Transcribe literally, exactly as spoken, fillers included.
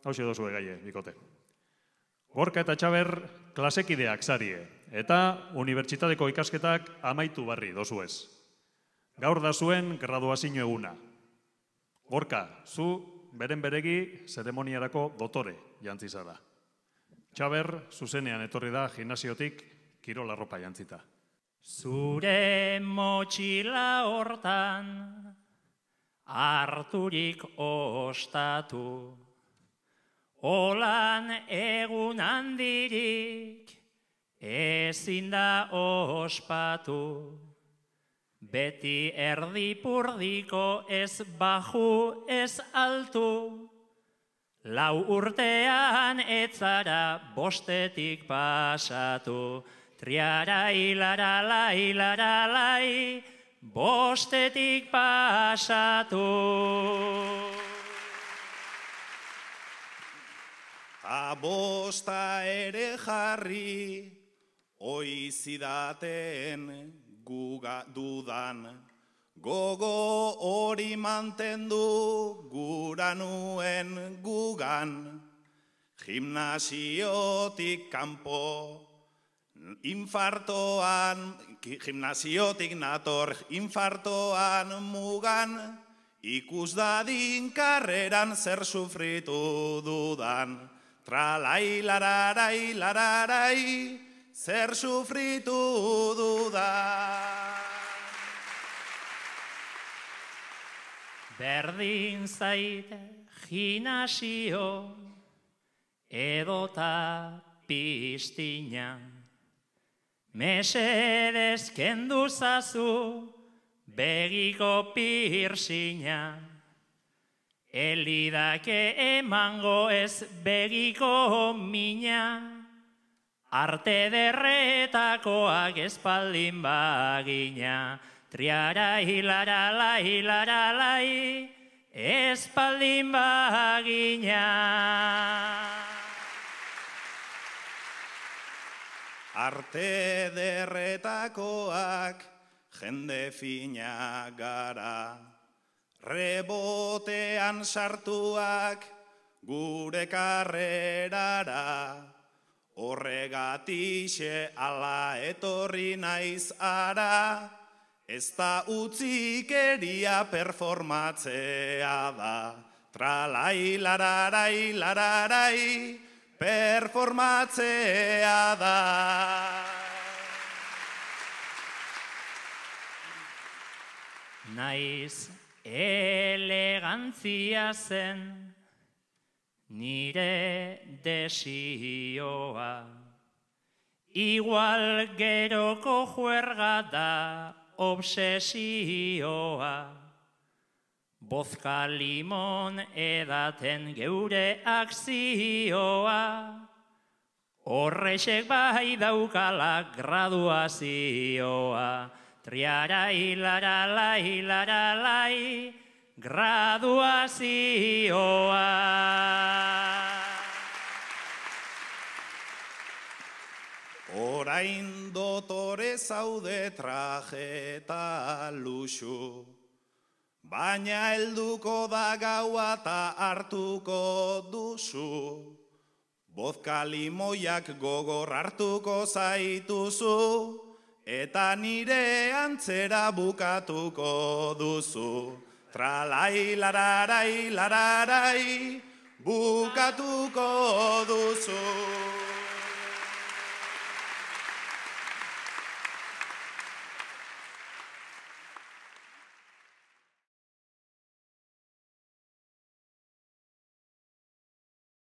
hauxe dozue gaie, bikote. Gorka eta Txaber klasekideak zarie, eta unibertsitateko ikasketak amaitu barri dozuez. Gaur da zuen graduazio eguna. Gorka, zu beren beregi zeremoniarako dotore jantzi zara. Txaber, zuzenean etorri da gimnasiotik kirol arropa jantzita. Zure motxila hortan harturik ostatu, olan egun handirik ezin da ospatu, beti erdipurdiko ez baju ez altu, lau urtean etzara bostetik pasatu, triarai laralai laralai, bostetik pasatu. Ta bosta ere jarri, oizidaten guga dudan, gogo hori mantendu gura nuen gugan, gimnasiotik kanpo, infartoan, gimnasiotik nator, infartoan mugan, ikus dadin karreran zer sufritu dudan. Tralai, lararai, lararai, zer sufritu dudan. Berdin zaite gimnasio edota piztina, mesedez kendu zazu begiko pirsina, elidake emango ez begiko mina, arte derretakoak espaldin bagina, triarai laralai laralai, espaldin bagina. Arte derretakoak jende fina gara, rebotean sartuak gure karrerara, horregatixe ala etorri naiz ara, ez da utzikeria performatzea da, tralai lararai lararai, performatzea da. Naiz elegantzia zen nire desioa, igual geroko juerga da obsesioa, bozka limon edaten geure akzioa, horrexek bai daukala graduazioa, triarai laralai laralai, graduazioa. Orain dotore zaude traje eta luxu, baina helduko da gaua eta hartuko duzu, bozka limoiak gogor hartuko zaituzu, eta nire antzera bukatuko duzu. Tralai lararai lararai, bukatuko duzu.